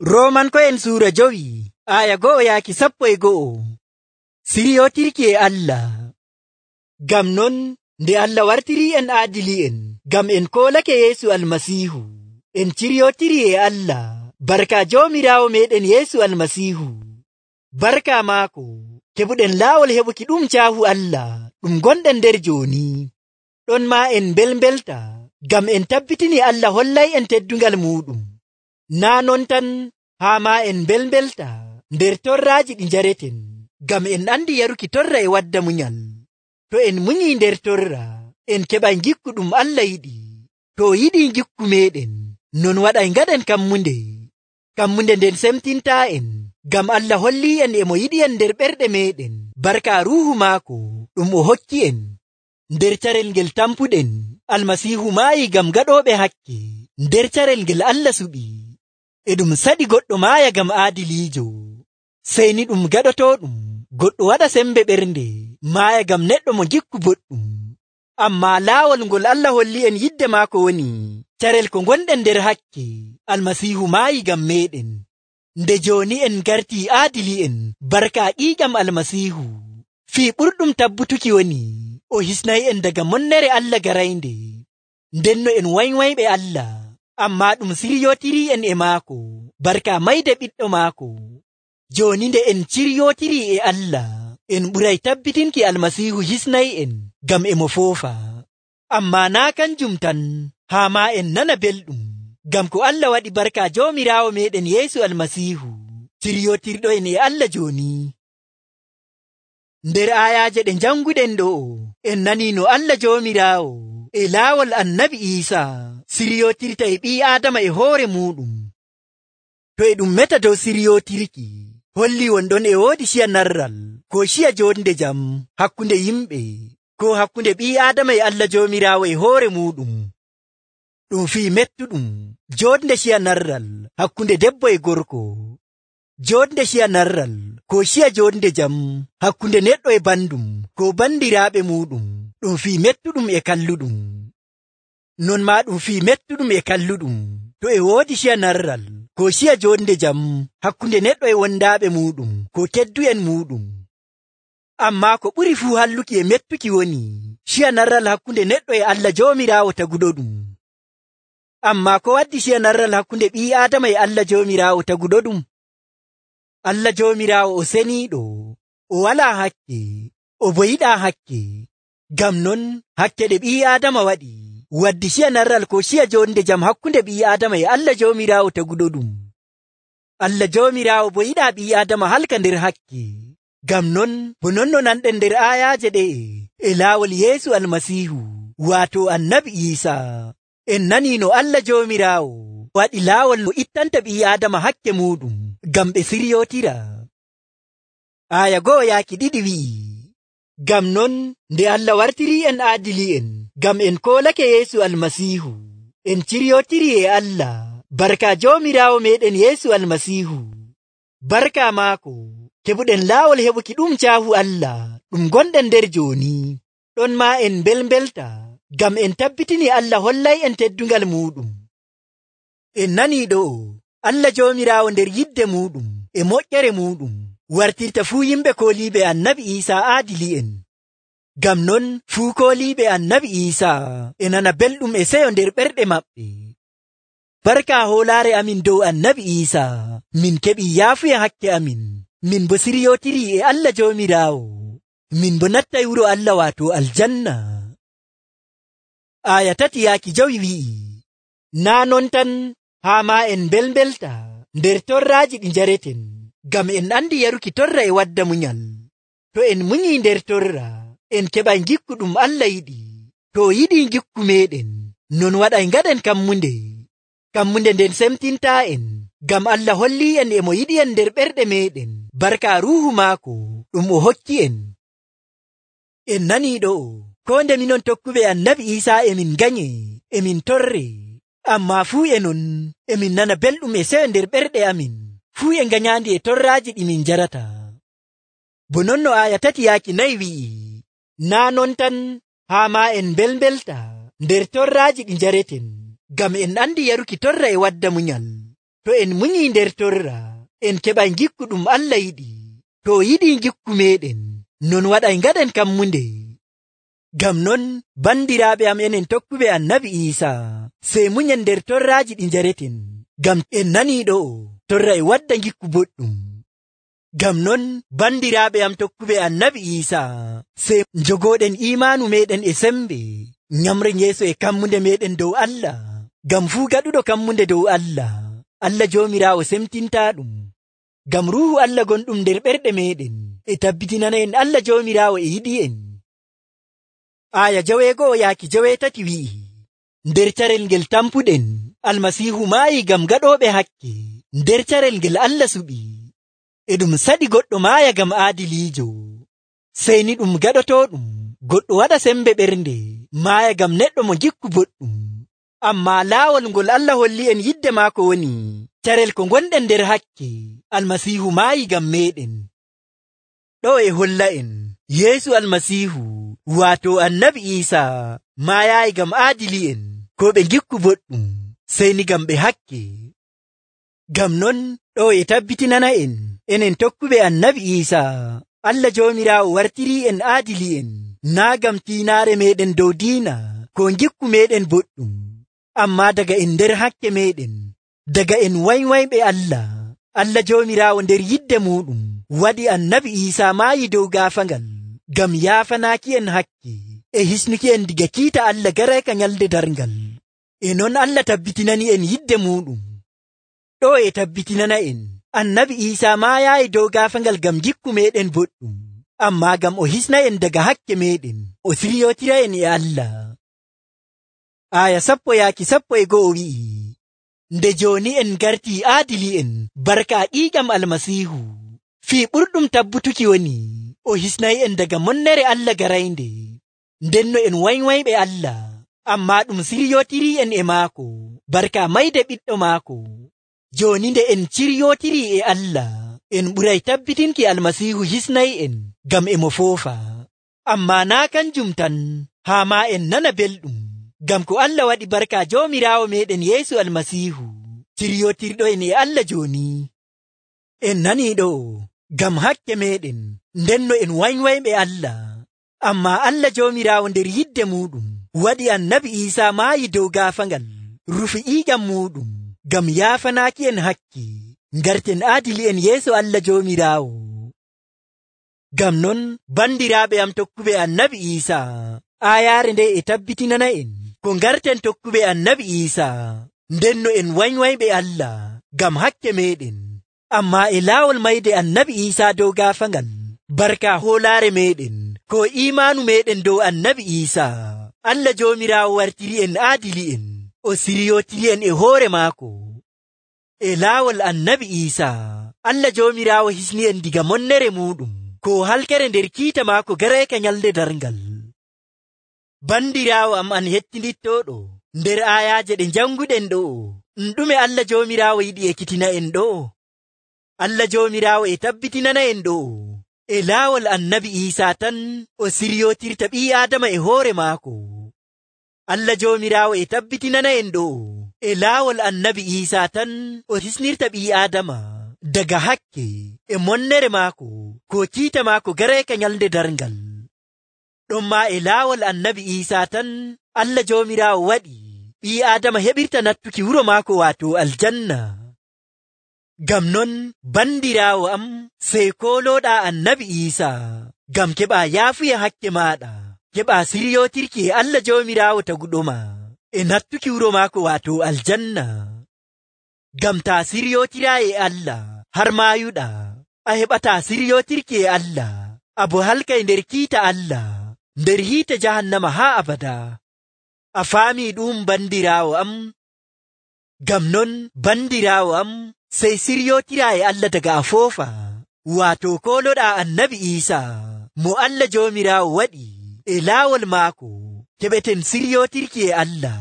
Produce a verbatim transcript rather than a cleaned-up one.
Roomanko'en suura jowi aya go'o yaaki sappo e go'o. Siriyootirki e Allah. Ngam non nde Allah wartirii en aadili'en ngam en koolake Yeesu Almasiihu, en ciryootiri e Allah barka Joomiraawo meeɗen Yeesu Almasiihu. Barka maako keɓuɗen laawol heɓuki ɗum caahu Allah ɗum gonɗen nder jooni. Ɗon maa en mbelmbelta ngam en tabbitini Allah hollay en teddungal muuɗum. Naa non tan haa maa en mbelmbelta nder torraaji ɗi njareten, ngam en andi yaruki torra e wadda munyal. To en munyii nder torra, en keɓay ngikku ɗum Allah yiɗi. To o yiɗii ngikku meeɗen, non waɗay ngaɗen kammunde. Kammunde nden semtintaa'en, ngam Allah hollii en e mo yiɗi en nder ɓerɗe meeɗen barka Ruuhu maako ɗum o hokki en. Nder carel ngel tampuɗen, Almasiihu maayi ngam gaɗooɓe hakke. Nder carel ngel Allah suɓi, e ɗum saɗi goɗɗo maaya ngam aadiliijo. Sey ni ɗum gaɗotooɗum goɗɗo waɗa sembe ɓernde maaya ngam neɗɗo mo ngikku boɗɗum. Ammaa laawol ngol Allah holli en yidde maako woni carel ko gonɗen nder hakke. Almasiihu maayi ngam meeɗen. Nde jooni en gartii aadili'en barka ƴiiƴam Almasiihu. Fii ɓurɗum tabbutuki woni o hisnay'en daga monnere Allah garaynde. Ndenno en waywayɓe Allah, ammaa ɗum siryootirii en e maako barka mayde ɓiɗɗo maako. Jooni nde en ciryootirii e Allah, en ɓuray tabbitinki Almasiihu hisnay'en ngam e mo foofa. Ammaa naa kanjum tan, haa maa en nana belɗum ngam ko Allah waɗi barka Joomiraawo meeɗen Yeesu Almasiihu. Ciryootirɗo'en e Allah jooni. Nder aayaaje ɗe janguɗen ɗo'o, en nanii no Allah Joomiraawo e laawol Annabi Iisaa siryootirta e ɓii Aadama e hoore muuɗum. To e ɗum meta dow siryootirki, holli wonɗon e woodi ciya narral ko ciya joonde jam hakkunde yimɓe, ko hakkunde ɓii Aadama e Allah Joomiraawo e hoore muuɗum. Ɗum fii mettuɗum joonde ciya narral hakkunde debbo e gorko, joonde ciya narral ko ciya joonde jam hakkunde neɗɗo e bandum ko bandiraaɓe muuɗum. Ɗum fii mettuɗum e kalluɗum. Non maa ɗum fii mettuɗum e kalluɗum to e woodi ciya narral ko ciya joonde jam hakkunde neɗɗo e wondaaɓe muuɗum ko keddu'en muuɗum. Ammaa ko ɓuri fuu halluki e mettuki woni ciya narral hakkunde neɗɗo e Allah Joomiraawo taguɗoɗum. Ammaa ko waddi ciya narral hakkunde ɓii Aadama e Allah Joomiraawo taguɗoɗum? Allah Joomiraawo o seniiɗo, o walaa hakke, o bo yiɗaa hakke. Ngam non hakke ɗe ɓii Aadama waɗi waddi ciya narral ko ciya joonde jam hakkunde ɓii Aadama e Allah Joomiraawo taguɗoɗum. Allah Joomiraawo bo yiɗaa ɓii Aadama halka nder hakke. Ngam non bo non no nanɗen nder aayaaje ɗe'e e laawol Yeesu Almasiihu, waato Annabi Iisaa. En nanii no Allah Joomiraawo waɗi laawol no ittanta ɓii Aadama hakke muuɗum ngam ɓe siryootira. Aaya go'o yaaki ɗiɗi wi'i, ngam non nde Allah wartirii en aadili'en ngam en koolake Yeesu Almasiihu, en ciryootiri e Allah barka Joomiraawo meeɗen Yeesu Almasiihu. Barka maako keɓuɗen laawol heɓuki ɗum caahu Allah ɗum gonɗen nder jooni. Ɗon maa en mbelmbelta ngam en tabbitini Allah hollay en teddungal muuɗum. En nanii ɗo'o Allah Joomiraawo nder yidde muuɗum e moƴƴere muuɗum wartirta fuu yimɓe kooliiɓe Annabi Iisaa aadili'en. Ngam non fuu kooliiɓe Annabi Iisaa e nana belɗum e seyo nder ɓerɗe maɓɓe. Barka hoolaare amin dow Annabi Iisaa, min keɓii yaafuya hakke amin, min bo siryootirii e Allah Joomiraawo, min bo nattay wuro Allah waato aljanna. Aaya tati yaaki jowi wi'i, naa non tan haa maa en mbelmbelta nder torraaji ɗi njareten, ngam en andi yaruki torra e wadda munyal. To en munyii nder torra, en keɓay ngikku ɗum Allah yiɗi. To o yiɗii ngikku meeɗen, non waɗay ngaɗen kammunde. Kammunde nden semtintaa'en, ngam Allah hollii en e mo yiɗi en nder ɓerɗe meeɗen barka Ruuhu maako ɗum o hokki en. En nanii ɗo'o, koo nde minon tokkuɓe Annabi Iisaa emin nganye, emin torre, ammaa fuu e non emin nana belɗum e seyo nder ɓerɗe amin, fuu e nganyaandi e torraaji ɗi min njarata. Bo non no aaya tati yaaki nayi wi'i, naa non tan haa maa en mbelmbelta nder torraaji ɗi njareten, ngam en andi yaruki torra e wadda munyal. to en munyi nder torra en keɓay gikku ɗum Allah yiɗi. To yiɗi gikku meɗen non waɗay ngaɗen kammunde. Ngam non bandiraaɓe am enen tokkuɓe annabi Iisa sey munyen nder torraaji ɗi njareten, ngam en nanii ɗo torra e wadda gikku boɗɗum. Ngam non bandiraaɓe am tokkuɓe annabi Iisa sey njogooɗen imaanu meɗen e sembe, nyamren yeeso e kammunde meɗen dow Allah. Ngam fuu gaɗuɗo kammunde dow Allah, Allah Joomiraawo semtintaaɗum. Ngam Ruuhu Allah gonɗum nder ɓerɗe meɗen e tabbitinana en Allah Joomiraawo e yiɗi en. Aya jaweego'o yaaki jaweetati wi'i, nder carel ngel tampuɗen Almasiihu maayi ngam gaɗooɓe hakke, nder carel ngel Allah suɓi. E ɗum saɗi goɗɗo maaya ngam aadiliijo, sey ni ɗum gaɗotooɗum goɗɗo waɗa sembe ɓernde maaya ngam neɗɗo mo gikku boɗɗum. Ammaa laawol ngol Allah holli en yidde maako woni carel ko gonɗen nder hakke, Almasiihu maayi ngam meɗen. Ɗo e holla en Yeesu Almasiihu waato annabi Iisa maayaayi ngam aadili'en ko ɓe gikku boɗɗum, sey ni ngam ɓe hakke. Ngam non ɗo e tabbitinana en enen tokkuɓe annabi Iisa, Allah Joomiraawo wartirii en aadili'en naa ngam tiinaare meɗen dow diina ko gikku meɗen boɗɗum, ammaa daga en nder hakke meɗen, daga en waywayɓe Allah. Allah Joomiraawo nder yidde muɗum waɗi annabi Iisa maayi dow gaafangal ngam yaafanaaki en hakke e hisnuki en diga kiita Allah garayka nyalde darngal. E non Allah tabbitinani en yidde muɗum. Ɗo e tabbitinana en annabi Iisa maayaayi dow gaafangal ngam gikku meɗen boɗɗum, ammaa ngam o hisna en daga hakke meɗen, o siryootira en e Allah. Aya sappo yaaki sappo e go'o wi'i, nde jooni en gartii aadili'en barka ƴiiƴam Almasiihu, fii ɓurɗum tabbutuki woni o hisnay en daga monnere Allah garaynde. Ndenno en waywayɓe Allah, ammaa ɗum siryootirii en e maako barka mayde ɓiɗɗo maako. Jooni nde en ciryootirii e Allah, en ɓuray tabbitinki Almasiihu hisnay en ngam e mo foofa. Ammaa naa kanjum tan, haa maa en nana belɗum, ngam ko Allah waɗi barka Joomiraawo meɗen Yeesu Almasiihu ciryootirɗo en e Allah jooni. En nanii ɗo ngam hakke meɗen, ndenno en waywayɓe Allah. Ammaa Allah Joomiraawo nder yidde muɗum waɗi annabi Iisa maayi dow gaafangal, rufi ƴiiƴam muɗum ngam yaafanaaki en hakke, ngarten aadili en yeeso Allah Joomiraawo. Ngam non bandiraaɓe am tokkuɓe annabi Iisa, aayaare nde e tabbitinana en ko ngarten tokkuɓe annabi Iisa, ndenno en waywayɓe Allah ngam hakke meɗen. Ammaa e laawol mayde annabi Iisa dow gaafangal, barka hoolaare meɗen ko imaanu meɗen dow annabi Iisa, Allah Joomiraawo wartiri en aadili en, o siryootiri en e hoore maako. E laawol annabi Iisa, Allah Joomiraawo hisni en diga monnere muɗum ko halkere nder kiita maako garayka nyalde darngal. Bandiraawo am an hettinittooɗo, nder aayaaje ɗe janguɗen ɗo, ɗume Allah Joomiraawo yiɗi ekkitina en ɗo? Allah Joomiraawo e tabbitinana en ɗo e laawol annabi Iisa tan o siryootirta ɓii Aadama e hoore maako. Allah Joomiraawo e tabbitinana en ɗo e laawol annabi Iisa tan o hisnirta ɓii Aadama daga hakke e monnere maako ko kiita maako garayka nyalde darngal. Ɗonma e laawol annabi Iisa tan Allah Joomiraawo waɗi ɓii Aadama heɓirta nattuki wuro maako waato aljanna. Ngam non bandiraawo am, sey koolooɗaa annabi Iisa ngam keɓaa yaafuya hakke maaɗa, keɓaa siryootirki e Allah Joomiraawo taguɗoma e nattuki wuro maako waato aljanna. Ngam taa siryootiraa e Allah har maayuɗaa, a heɓataa siryootirki e Allah, abo halkay nder kiita Allah, nder hiite jahannama haa abada. A faamii ɗum bandiraawo am? Ngam non bandiraawo am, sey siryootiraa e Allah daga a foofa, waato kooloɗaa annabi Iisa mo Allah Joomiraawo waɗi e laawol maako keɓeten siryootirki e Allah.